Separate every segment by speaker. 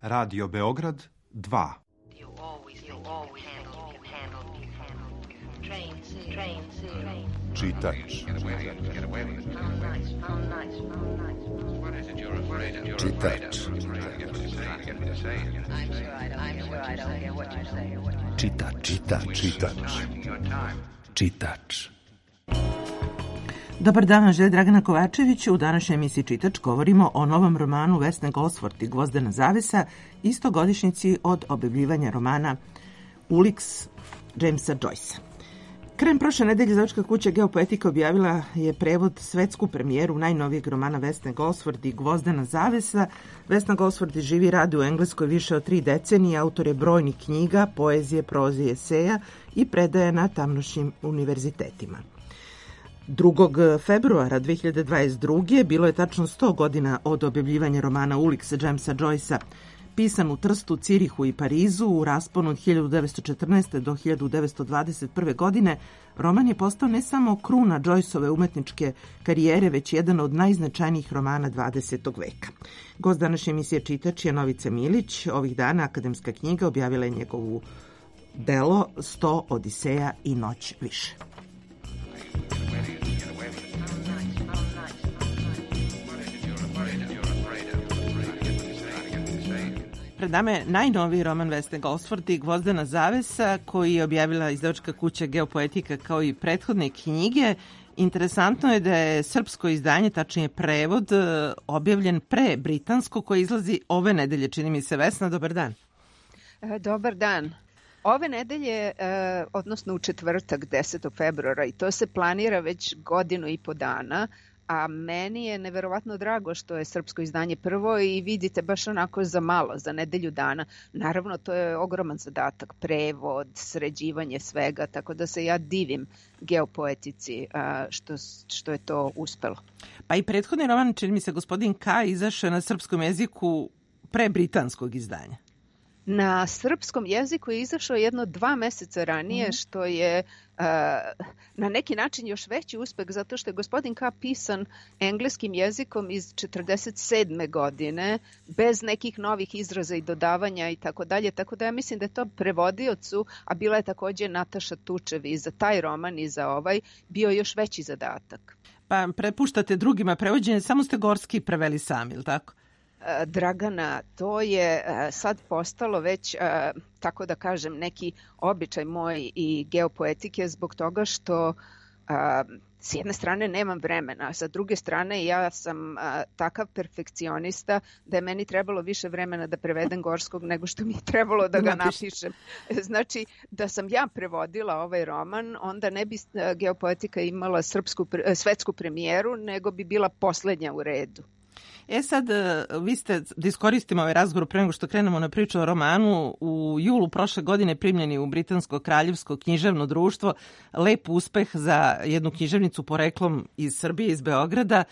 Speaker 1: Radio Beograd 2.
Speaker 2: Čitač. Čitač.
Speaker 3: Dobar dan, želje Dragana Kovačević. U današnjoj emisiji Čitač govorimo o novom romanu Vesne Gosford i Gvozdena zavesa, istogodišnjici od objavljivanja romana Ulix Jamesa Joycea. Krajem prošle nedelje izdavačka kuća Geopoetika objavila je prevod, svetsku premijeru najnovijeg romana Vesne Gosford i Gvozdena zavesa. Vesna Gosford živi i radi u Engleskoj više od 3 decenije, autor je brojnih knjiga, poezije, proze i eseja i predaje na tamnošnjim univerzitetima. 2. februara 2022. bilo je tačno 100 godina od objavljivanja romana Ulix Jamesa Joycea, pisan u Trstu, Cirihu i Parizu u rasponu od 1914. do 1921. godine. Roman je postao ne samo kruna Joyceove umetničke karijere, već jedan od najznačajnijih romana 20. veka. Gost današnje emisije Čitač je Novica Milić. Ovih dana Akademska knjiga objavila je njegovu delo 100 Odiseja i noć više. Pred nama je najnoviji roman Vesne Gosford i Gvozdena zavesa, koji je objavila izdavačka kuća Geopoetika kao i prethodne knjige. Interesantno je da je srpsko izdanje, tačnije prevod, objavljen pre britansko, koje izlazi ove nedelje, čini mi se. Vesna, dobar dan.
Speaker 4: Dobar dan. Ove nedelje, odnosno u četvrtak 10. februara, i to se planira već 1.5 godina, a meni je neverovatno drago što je srpsko izdanje prvo i vidite baš onako za malo, za nedelju dana. Naravno, to je ogroman zadatak, prevod, sređivanje svega, tako da se ja divim Geopoetici što je to uspelo.
Speaker 3: Pa i prethodni roman, čini mi se, Gospodin K, izašao na srpskom jeziku pre britanskog izdanja.
Speaker 4: Na srpskom jeziku je izašao jedno 2 meseca ranije, što je na neki način još veći uspeh, zato što je Gospodin K pisan engleskim jezikom iz 1947. godine, bez nekih novih izraza i dodavanja i tako dalje. Tako da ja mislim da je to prevodiocu, a bila je također Nataša Tučev i za taj roman i za ovaj, bio još veći zadatak.
Speaker 3: Pa prepuštate drugima prevođenje, samo ste Gorski preveli sami, ili tako?
Speaker 4: Dragana, to je sad postalo već, tako da kažem, neki običaj moj i Geopoetike zbog toga što s jedne strane nemam vremena, a sa druge strane ja sam takav perfekcionista da je meni trebalo više vremena da prevedem Gorskog nego što mi je trebalo da ga napišem. Znači, da sam ja prevodila ovaj roman, onda ne bi Geopoetika imala svetsku premijeru, nego bi bila poslednja u redu.
Speaker 3: Sad, vi ste, da iskoristimo ovaj razgovor pre nego što krenemo na priču o romanu, u julu prošle godine primljeni u Britansko kraljevsko književno društvo. Lep uspeh za jednu književnicu poreklom iz Srbije, iz Beograda.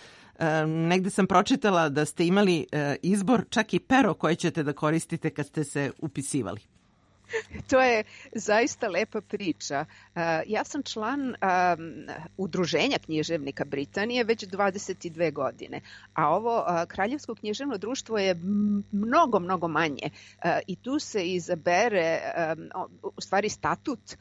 Speaker 3: Negde sam pročitala da ste imali izbor, čak i pero koje ćete da koristite kad ste se upisivali.
Speaker 4: To je zaista lepa priča. Ja sam član Udruženja književnika Britanije već 22 godine, a ovo Kraljevsko književno društvo je mnogo manje i tu se izabere, u stvari statut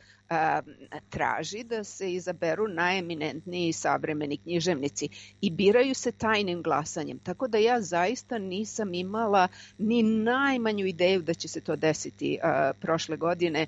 Speaker 4: traži da se izaberu najeminentniji savremeni književnici i biraju se tajnim glasanjem. Tako da ja zaista nisam imala ni najmanju ideju da će se to desiti prošle godine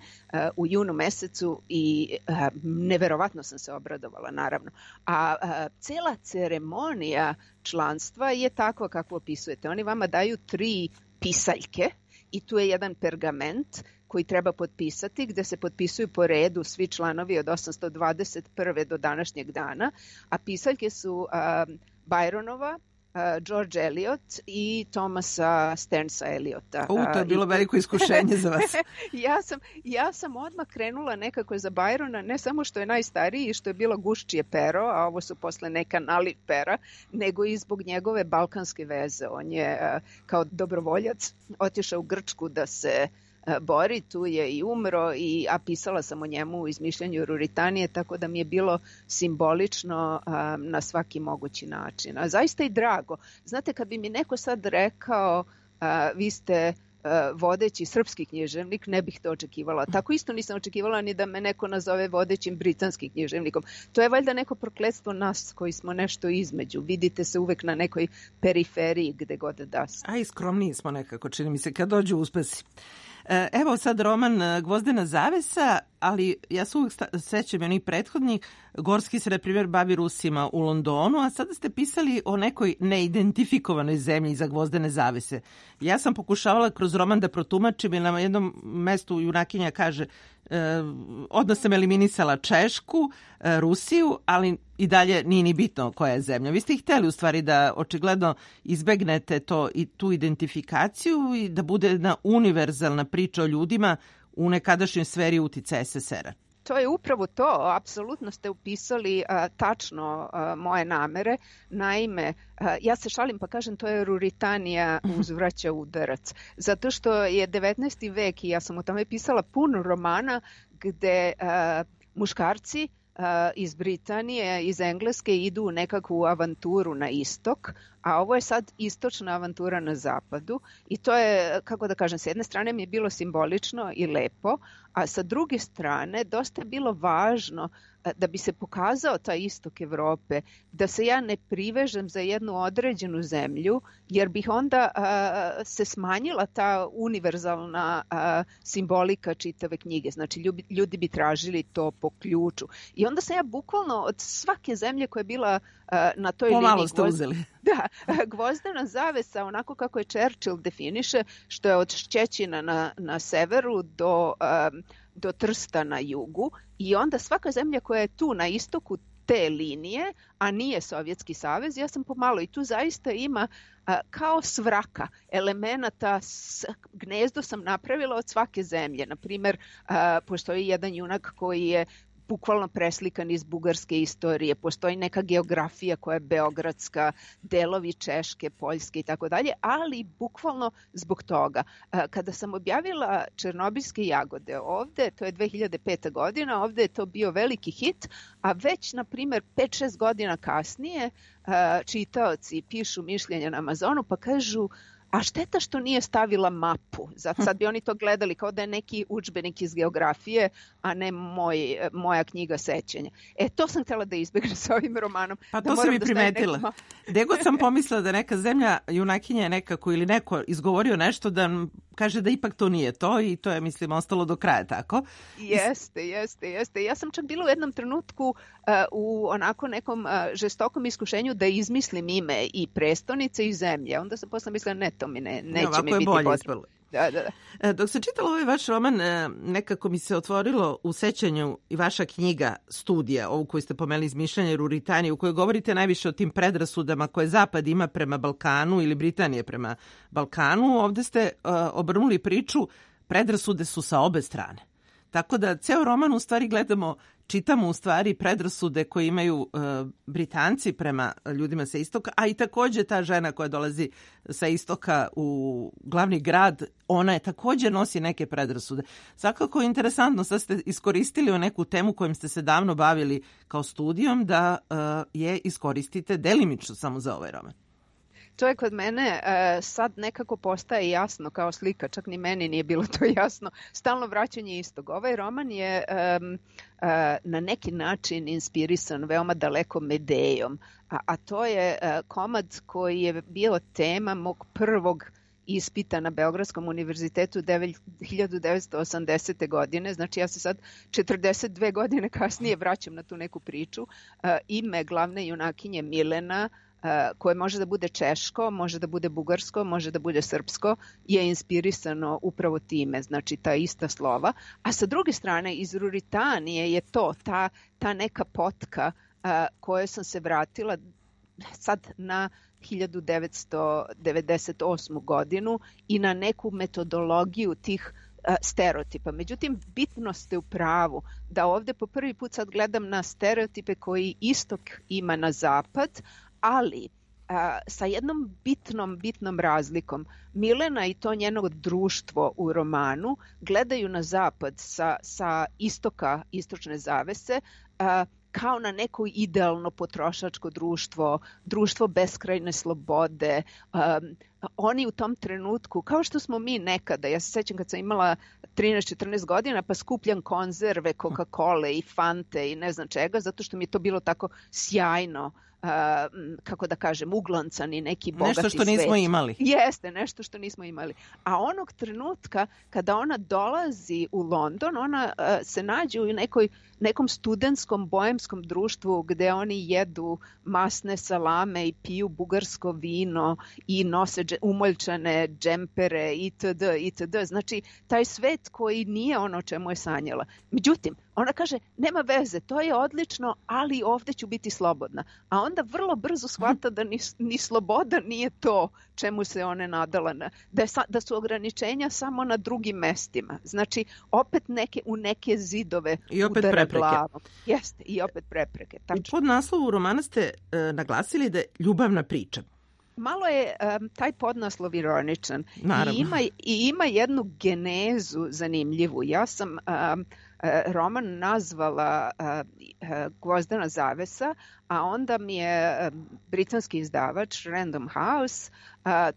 Speaker 4: u junu mesecu i neverovatno sam se obradovala, naravno. A cela ceremonija članstva je takva kako opisujete. Oni vama daju 3 pisaljke i tu je jedan pergament koji treba potpisati, gde se potpisuju po redu svi članovi od 821. do današnjeg dana, a pisaljke su Byronova, George Eliot i Thomasa Sternsa Eliota.
Speaker 3: To je bilo veliko iskušenje za vas.
Speaker 4: Ja sam odmah krenula nekako za Byrona, ne samo što je najstariji i što je bilo guščije pero, a ovo su posle neka nalit pera, nego i zbog njegove balkanske veze. On je kao dobrovoljac otišao u Grčku da se bori, tu je i umro, a pisala sam o njemu u izmišljanju Ruritanije, tako da mi je bilo simbolično na svaki mogući način. A zaista i drago. Znate, kad bi mi neko sad rekao vi ste vodeći srpski književnik, ne bih to očekivala. Tako isto nisam očekivala ni da me neko nazove vodećim britanskim književnikom. To je valjda neko prokletstvo nas koji smo nešto između. Vidite se uvek na nekoj periferiji gde god da se.
Speaker 3: A i skromniji smo nekako, čini mi se, kad dođu uspesi. Evo sad roman Gvozdena zavesa, ali ja se uvijek sećam onih prethodnih. Gorski se, na primjer, bavi Rusima u Londonu, a sada ste pisali o nekoj neidentifikovanoj zemlji iza Gvozdene zavese. Ja sam pokušavala kroz roman da protumačim i na jednom mestu junakinja kaže odmah sam eliminisala Češku, Rusiju, ali i dalje nije ni bitno koja je zemlja. Vi ste ih hteli u stvari da očigledno izbegnete to i tu identifikaciju i da bude jedna univerzalna priča o ljudima u nekadašnjoj sferi uticaja SSR-a.
Speaker 4: To je upravo to, apsolutno ste upisali tačno moje namere. Naime, ja se šalim pa kažem to je Ruritanija uzvraća udarac. Zato što je 19. vek i ja sam o tome pisala puno romana gde muškarci iz Britanije, iz Engleske idu u nekakvu avanturu na istok, a ovo je sad istočna avantura na zapadu i to je, kako da kažem, s jedne strane mi je bilo simbolično i lepo, a sa druge strane dosta je bilo važno da bi se pokazao taj istok Evrope, da se ja ne privežem za jednu određenu zemlju, jer bih onda se smanjila ta univerzalna simbolika čitave knjige. Znači, ljudi bi tražili to po ključu. I onda sam ja bukvalno od svake zemlje koja je bila na toj liniji...
Speaker 3: Pomalo ste uzeli.
Speaker 4: Da, Gvozdena zavesa, onako kako je Churchill definiše, što je od Šćećina na severu do Trsta na jugu i onda svaka zemlja koja je tu na istoku te linije, a nije Sovjetski savez, ja sam pomalo i tu zaista ima kao svraka elemenata, gnezdo sam napravila od svake zemlje. Naprimjer, postoji jedan junak koji je bukvalno preslikan iz bugarske istorije. Postoji neka geografija koja je beogradska, delovi Češke, Poljske i tako dalje, ali bukvalno zbog toga. Kada sam objavila Černobilske jagode ovde, to je 2005. godina, ovde je to bio veliki hit, a već, na primjer, 5-6 godina kasnije čitaoci pišu mišljenja na Amazonu pa kažu a šteta što nije stavila mapu. Sad bi oni to gledali kao da je neki udžbenik iz geografije, a ne moja knjiga sećanja. To sam htjela da izbjegnem sa ovim romanom.
Speaker 3: Pa to sam i primetila. Gde god sam pomislila da neka zemlja junakinja je nekako ili neko izgovorio nešto da kaže da ipak to nije to i to je, mislim, ostalo do kraja tako.
Speaker 4: Jeste. Ja sam čak bila u jednom trenutku u onako nekom žestokom iskušenju da izmislim ime i prestonice i zemlje. Onda sam posle mislila ne, to mi neće mi biti potrebno. Da.
Speaker 3: Dok sam čitala ovaj vaš roman, nekako mi se otvorilo u sećanju i vaša knjiga Studija, ovu koju ste pomenuli iz mišljenja Ruritanije, u kojoj govorite najviše o tim predrasudama koje Zapad ima prema Balkanu ili Britanije prema Balkanu. Ovde ste obrnuli priču, predrasude su sa obe strane. Tako da ceo roman u stvari čitamo u stvari predrasude koje imaju Britanci prema ljudima sa istoka, a i također ta žena koja dolazi sa istoka u glavni grad, ona je također nosi neke predrasude. Svakako je interesantno, sad ste iskoristili neku temu kojom ste se davno bavili kao studijom, da je iskoristite delimično samo za ovaj roman.
Speaker 4: To je kod mene sad nekako postaje jasno kao slika, čak ni meni nije bilo to jasno. Stalno vraćanje istog. Ovaj roman je na neki način inspirisan veoma daleko Medejom, a to je komad koji je bio tema mog prvog ispita na Beogradskom univerzitetu 1980. godine. Znači ja se sad 42 godine kasnije vraćam na tu neku priču. Ime glavne junakinje Milena, koje može da bude češko, može da bude bugarsko, može da bude srpsko, je inspirisano upravo time, znači ta ista slova. A sa druge strane, iz Ruritanije je to, ta neka potka koje sam se vratila sad na 1998. godinu i na neku metodologiju tih stereotipa. Međutim, bitno ste u pravu da ovde po prvi put sad gledam na stereotipe koji istok ima na zapad, ali sa jednom bitnom razlikom. Milena i to njeno društvo u romanu gledaju na zapad sa istoka, istočne zavese, kao na neko idealno potrošačko društvo, društvo beskrajne slobode. Oni u tom trenutku, kao što smo mi nekada, ja se sećam kad sam imala 13-14 godina, pa skupljam konzerve, Coca-Cola i Fante i ne znam čega, zato što mi je to bilo tako sjajno, kako da kažem, uglancani neki bogati svet.
Speaker 3: Nešto što nismo imali.
Speaker 4: Jeste, nešto što nismo imali. A onog trenutka kada ona dolazi u London, ona se nađe u nekom studentskom boemskom društvu gde oni jedu masne salame i piju bugarsko vino i nose umoljčane džempere itd. itd. Znači, taj svet koji nije ono o čemu je sanjala. Međutim, ona kaže, nema veze, to je odlično, ali ovde ću biti slobodna. A onda vrlo brzo shvata da ni sloboda nije to čemu se one nadala, da su ograničenja samo na drugim mestima. Znači, opet u neke zidove
Speaker 3: i opet prepreke.
Speaker 4: Glavom. Jeste, i opet prepreke. Tačno.
Speaker 3: U podnaslovu romana ste naglasili da je ljubavna priča.
Speaker 4: Malo je taj podnaslov ironičan.
Speaker 3: Naravno.
Speaker 4: I ima jednu genezu zanimljivu. Ja sam roman nazvala Gvozdena zavesa, a onda mi je britanski izdavač Random House,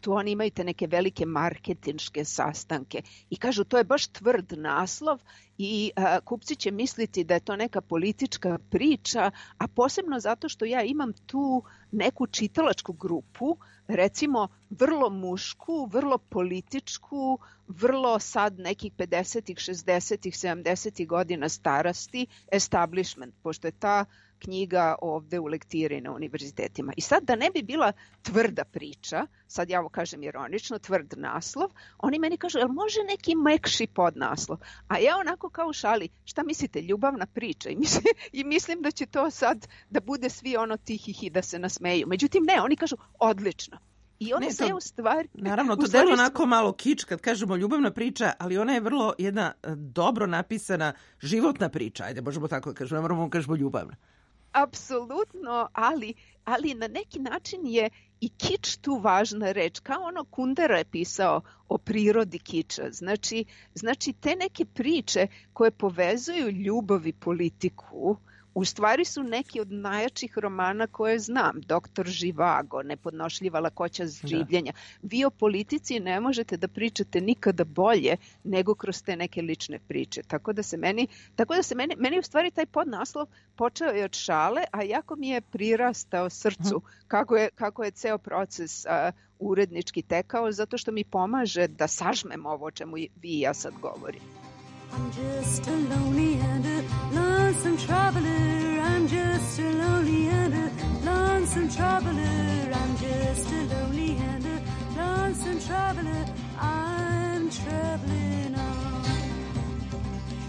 Speaker 4: tu oni imaju te neke velike marketinške sastanke i kažu to je baš tvrd naslov i kupci će misliti da je to neka politička priča, a posebno zato što ja imam tu neku čitalačku grupu, recimo vrlo mušku, vrlo političku, vrlo sad nekih 50-ih, 60-ih, 70-ih godina starosti, establishment, pošto je ta knjiga ovde u lektiri na univerzitetima. I sad da ne bi bila tvrda priča, sad ja ovo kažem ironično, tvrd naslov, oni meni kažu, jel može neki mekši podnaslov? A ja onako kao u šali, šta mislite, ljubavna priča? I mislim da će to sad da bude svi ono tihih i da se nasmeju. Međutim, ne, oni kažu, odlično. I onda se u stvari...
Speaker 3: Naravno, to delo onako malo kič kad kažemo ljubavna priča, ali ona je vrlo jedna dobro napisana životna priča. Ajde, možemo tako da kažemo, ne moramo kažemo ljubavna.
Speaker 4: Apsolutno, ali na neki način je i kič tu važna reč. Kao ono Kundera je pisao o prirodi kiča. Znači te neke priče koje povezuju ljubav i politiku, u stvari su neki od najjačih romana koje znam. Doktor Živago, Nepodnošljiva lakoća življenja. Vi o politici ne možete da pričate nikada bolje nego kroz te neke lične priče. Tako da se meni u stvari taj podnaslov počeo je od šale, a jako mi je prirastao srcu kako je ceo proces urednički tekao, zato što mi pomaže da sažmem ovo o čemu vi i ja sad govorim.
Speaker 5: I'm just a lonely and a lonesome traveler. I'm just a lonely and a lonesome traveler. I'm just a lonely and a lonesome traveler. I'm traveling on.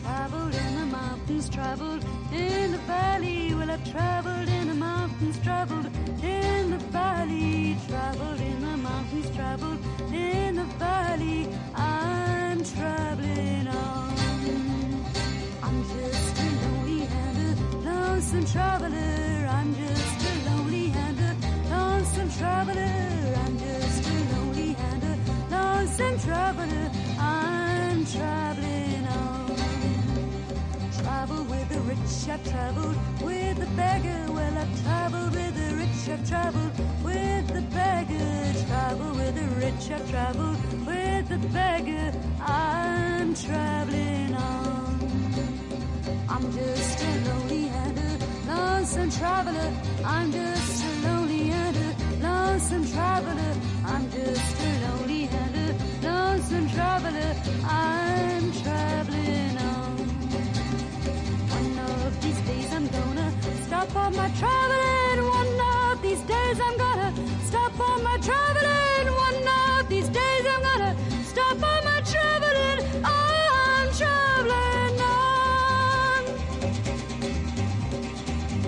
Speaker 5: Traveled in the mountains, traveled in the valley. Well, I've traveled in the mountains, traveled in the valley. Traveled in the mountains, traveled in the valley. I'm traveling on. I'm just a lonely and a lonesome traveler. I'm just a lonely and a lonesome traveler. I'm just a lonely and a lonesome traveler. I'm traveling on. Travel with the rich, I've traveled with the beggar. Well, I've traveled with the rich, I've traveled with the beggar. Travel with the rich, I've traveled with the beggar. I'm traveling on. I'm just a lonely and a lonesome traveler. I'm just a lonely and a lonesome traveler. I'm just a lonely and a lonesome traveler. I'm traveling on. One of these days I'm gonna stop on my traveling. One of these days I'm gonna stop on my traveling. One of these days I'm gonna stop on my traveling. I'm traveling on.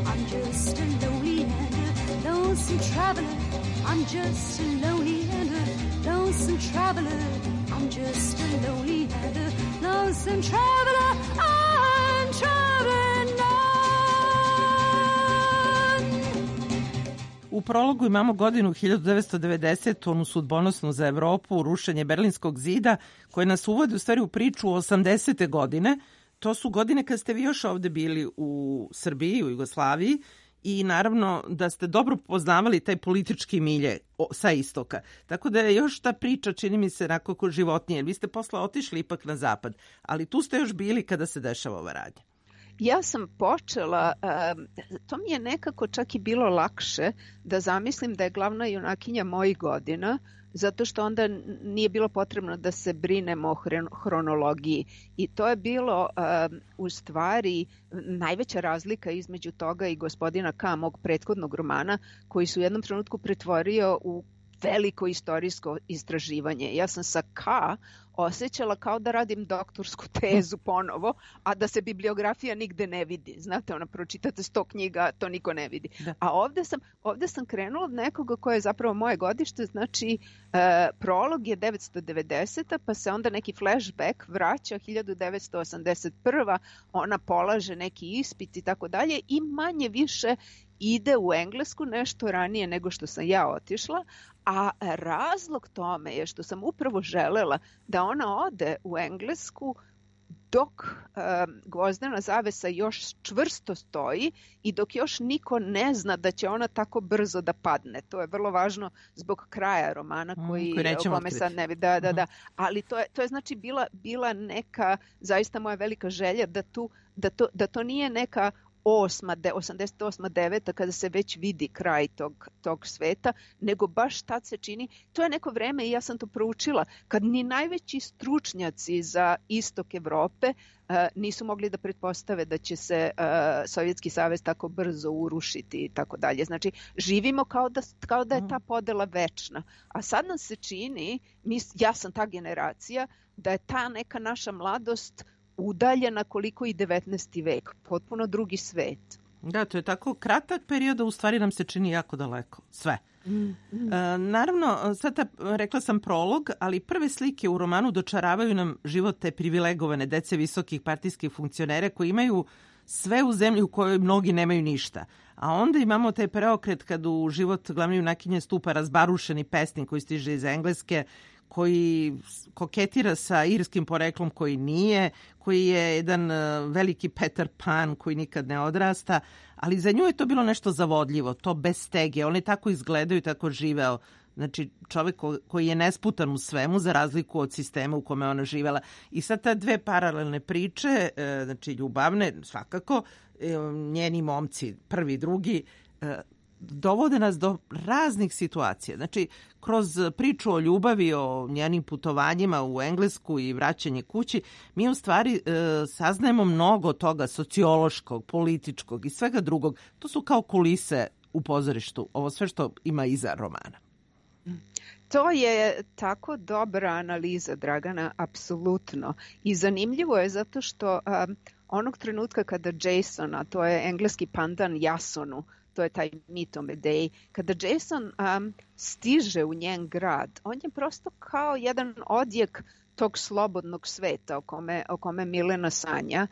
Speaker 5: I'm just a lonely and a lonesome traveler. I'm just a lonely and a lonesome traveler. I'm just a lonely and a lonesome traveler. I'm traveling on.
Speaker 3: U prologu imamo godinu 1990, onu sudbonosnu za Evropu, rušenje Berlinskog zida, koje nas uvodi u stvari u priču 80. godine. to su godine kad ste vi još ovde bili u Srbiji, u Jugoslaviji, i naravno da ste dobro poznavali taj politički milje sa istoka. Tako da je još ta priča, čini mi se, nekako životnije. Vi ste posle otišli ipak na zapad, ali tu ste još bili kada se dešava ova radnja.
Speaker 4: Ja sam počela, to mi je nekako čak i bilo lakše da zamislim da je glavna junakinja mojih godina, zato što onda nije bilo potrebno da se brinemo o hronologiji. I to je bilo u stvari najveća razlika između toga i Gospodina K, mog prethodnog romana, koji se u jednom trenutku pretvorio u veliko istorijsko istraživanje. Ja sam sa K osjećala kao da radim doktorsku tezu ponovo, a da se bibliografija nigde ne vidi. Znate, pročitate 100 knjiga, to niko ne vidi. Da. A ovde sam krenula od nekoga koje je zapravo moje godište, znači prolog je 990. pa se onda neki flashback vraća 1981. Ona polaže neki ispit i tako dalje i manje više ide u Englesku nešto ranije nego što sam ja otišla, a razlog tome je što sam upravo želela da ona ode u Englesku dok gvozdena zavesa još čvrsto stoji i dok još niko ne zna da će ona tako brzo da padne. To je vrlo važno zbog kraja romana koji o kome sad ne vidi. Da. Ali to je znači bila neka zaista moja velika želja da to nije neka 88. 9. kada se već vidi kraj tog sveta, nego baš tad se čini, to je neko vreme i ja sam to proučila, kad ni najveći stručnjaci za istok Evrope nisu mogli da pretpostave da će se Sovjetski savez tako brzo urušiti i tako dalje. Znači, živimo kao da je ta podela večna. A sad nam se čini, ja sam ta generacija, da je ta neka naša mladost udaljena koliko i 19. vek. Potpuno drugi svet.
Speaker 3: Da, to je tako kratak period, a u stvari nam se čini jako daleko. Sve. Naravno, sad rekla sam prolog, ali prve slike u romanu dočaravaju nam život te privilegovane dece visokih partijskih funkcionera koji imaju sve u zemlji u kojoj mnogi nemaju ništa. A onda imamo taj preokret kad u život glavne junakinje stupa razbarušeni pesnik koji stiže iz Engleske, koji koketira sa irskim poreklom koji nije, koji je jedan veliki Peter Pan koji nikad ne odrasta, ali za nju je to bilo nešto zavodljivo, to bez stege. One tako izgledaju, tako živeo. Znači, čovjek koji je nesputan u svemu, za razliku od sistema u kome ona živela. I sad ta dve paralelne priče, znači ljubavne, svakako, njeni momci, prvi, drugi, dovode nas do raznih situacija. Znači, kroz priču o ljubavi, o njenim putovanjima u Englesku i vraćanje kući, mi u stvari saznajemo mnogo toga sociološkog, političkog i svega drugog. To su kao kulise u pozorištu, ovo sve što ima iza romana.
Speaker 4: To je tako dobra analiza, Dragana, apsolutno. I zanimljivo je zato što onog trenutka kada Jason, a to je engleski pandan Jasonu, to je taj mit o Medeji, kada Jason stiže u njen grad, on je prosto kao jedan odjek tog slobodnog sveta o kome Milena sanja.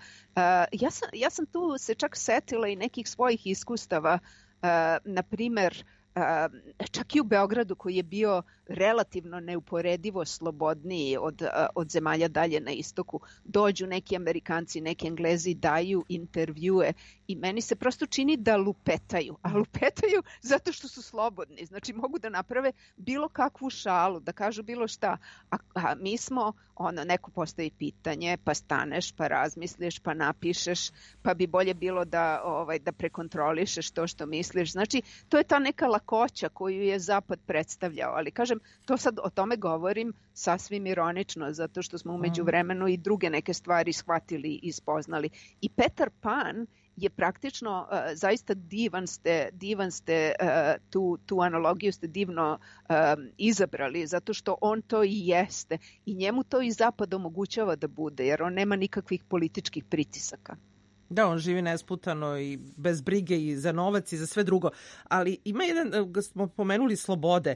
Speaker 4: Ja sam tu se čak setila i nekih svojih iskustava, na primer, čak i u Beogradu koji je bio relativno neuporedivo slobodniji od zemalja dalje na istoku, dođu neki Amerikanci, neki Englezi, daju intervjue i meni se prosto čini da lupetaju, a lupetaju zato što su slobodni, znači mogu da naprave bilo kakvu šalu, da kažu bilo šta, a mi smo, neko postavi pitanje, pa staneš, pa razmisliš, pa napišeš, pa bi bolje bilo da prekontrolišeš to što misliš, znači to je ta neka lakoća koju je Zapad predstavljao, ali kažem, to sad o tome govorim sasvim ironično, zato što smo umeđu vremenu i druge neke stvari shvatili i spoznali. I Peter Pan je praktično, zaista divan ste tu analogiju ste divno izabrali, zato što on to i jeste i njemu to i Zapad omogućava da bude, jer on nema nikakvih političkih pritisaka.
Speaker 3: Da, on živi nesputano i bez brige i za novac i za sve drugo. Ali ima jedan, smo pomenuli slobode,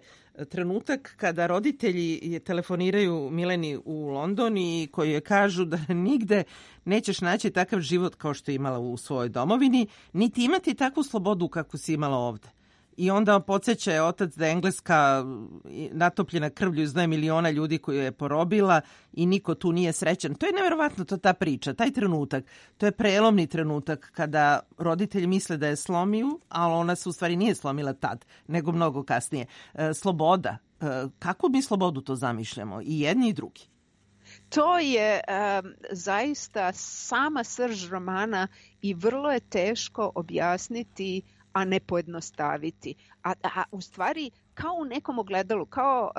Speaker 3: trenutak kada roditelji telefoniraju Mileni u London i koji je kažu da nigde nećeš naći takav život kao što je imala u svojoj domovini, niti imati takvu slobodu kakvu si imala ovde. i onda podsjeća je otac da je Engleska natopljena krvlju iz 2 miliona ljudi koju je porobila i niko tu nije srećan. To je neverovatno, ta priča, taj trenutak. To je prelomni trenutak kada roditelji misle da je slomiju, ali ona se u stvari nije slomila tad, nego mnogo kasnije. Sloboda. Kako mi slobodu to zamišljamo? I jedni i drugi.
Speaker 4: To je zaista sama srž romana i vrlo je teško objasniti, a ne pojednostaviti. A u stvari kao u nekom ogledalu, kao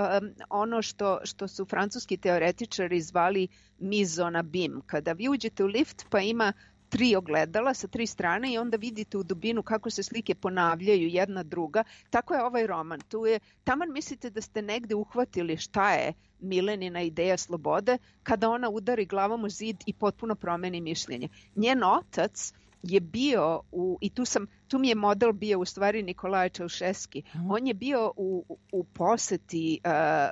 Speaker 4: ono što su francuski teoretičari zvali mise en abîme. Kada vi uđete u lift pa ima 3 ogledala sa 3 strane i onda vidite u dubinu kako se slike ponavljaju jedna druga. Tako je ovaj roman. Tu je, taman mislite da ste negde uhvatili šta je Milenina ideja slobode, kada ona udari glavom u zid i potpuno promeni mišljenje. Njen otac je bio i tu mi je model bio u stvari Nikolaj Čaušeski. On je bio u poseti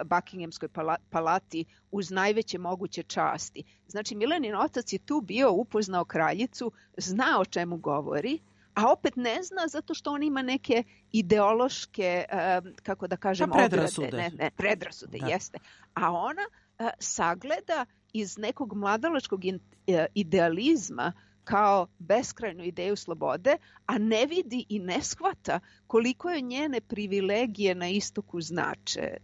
Speaker 4: Buckinghamskoj palati uz najveće moguće časti. Znači Milenin otac je tu bio, upoznao kraljicu, zna o čemu govori, a opet ne zna zato što on ima neke ideološke, kako da kažem,
Speaker 3: predrasude.
Speaker 4: Predrasude, da. Jeste. A ona sagleda iz nekog mladalačkog idealizma kao beskrajnu ideju slobode, a ne vidi i ne shvata koliko je njene privilegije na istoku znače.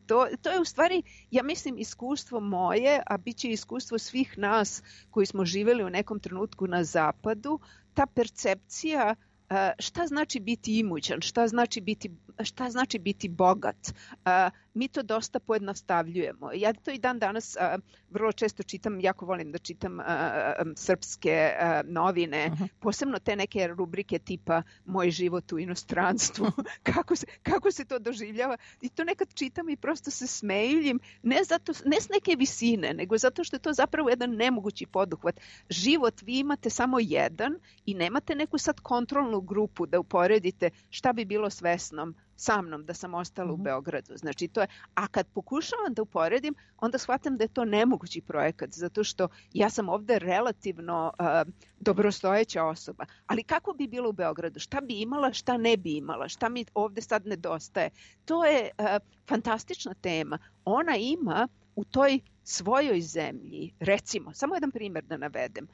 Speaker 4: To je u stvari, ja mislim, iskustvo moje, a bit će iskustvo svih nas koji smo živjeli u nekom trenutku na zapadu, ta percepcija šta znači biti imućan, šta znači biti bogat. Mi to dosta pojednostavljujemo. Ja to i dan danas vrlo često čitam, jako volim da čitam srpske novine, posebno te neke rubrike tipa Moj život u inostranstvu, kako se to doživljava. I to nekad čitam i prosto se smejiljim, ne s neke visine, nego zato što je to zapravo jedan nemogući poduhvat. Život vi imate samo jedan i nemate neku sad kontrolnu grupu da uporedite šta bi bilo s Vesnom sa mnom da sam ostala u Beogradu. Znači to je, a kad pokušavam da uporedim, onda shvatam da je to nemogući projekat, zato što ja sam ovde relativno dobrostojeća osoba. Ali kako bi bilo u Beogradu? Šta bi imala, šta ne bi imala? Šta mi ovde sad nedostaje? To je fantastična tema. Ona ima u toj svojoj zemlji, recimo, samo jedan primjer da navedem,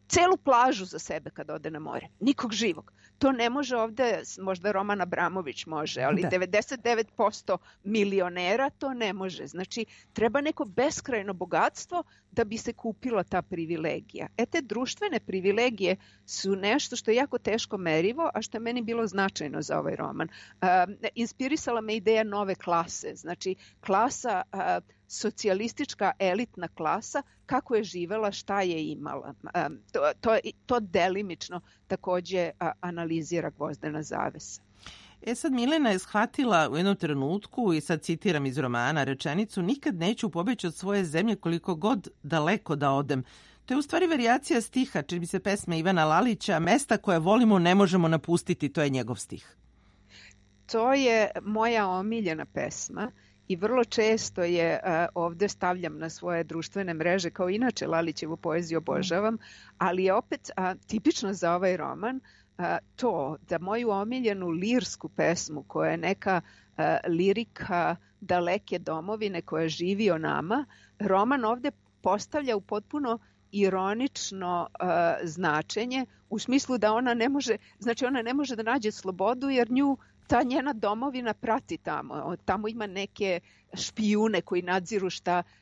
Speaker 4: celu plažu za sebe kad ode na more. Nikog živog. To ne može ovde, možda Roman Abramović može, ali 99% milionera to ne može. Znači, treba neko beskrajno bogatstvo da bi se kupila ta privilegija. Te društvene privilegije su nešto što je jako teško merivo, a što je meni bilo značajno za ovaj roman. Inspirisala me ideja nove klase. Znači, klasa socijalistička elitna klasa, kako je živela, šta je imala. To delimično takođe analizira Gvozdena zavesa.
Speaker 3: Sad Milena je shvatila u jednom trenutku, i sad citiram iz romana rečenicu, nikad neću pobeći od svoje zemlje koliko god daleko da odem. To je u stvari varijacija stiha, čini mi se pesme Ivana Lalića, mesta koje volimo ne možemo napustiti, to je njegov stih.
Speaker 4: To je moja omiljena pesma. I vrlo često je ovde stavljam na svoje društvene mreže, kao inače Lalićevu poeziju obožavam, ali je opet tipično za ovaj roman to da moju omiljenu lirsku pesmu, koja je neka lirika daleke domovine koja živi o nama, roman ovde postavlja u potpuno ironično značenje, u smislu da ona ne može da nađe slobodu jer nju ta njena domovina prati tamo. Tamo ima neke špijune koji nadziru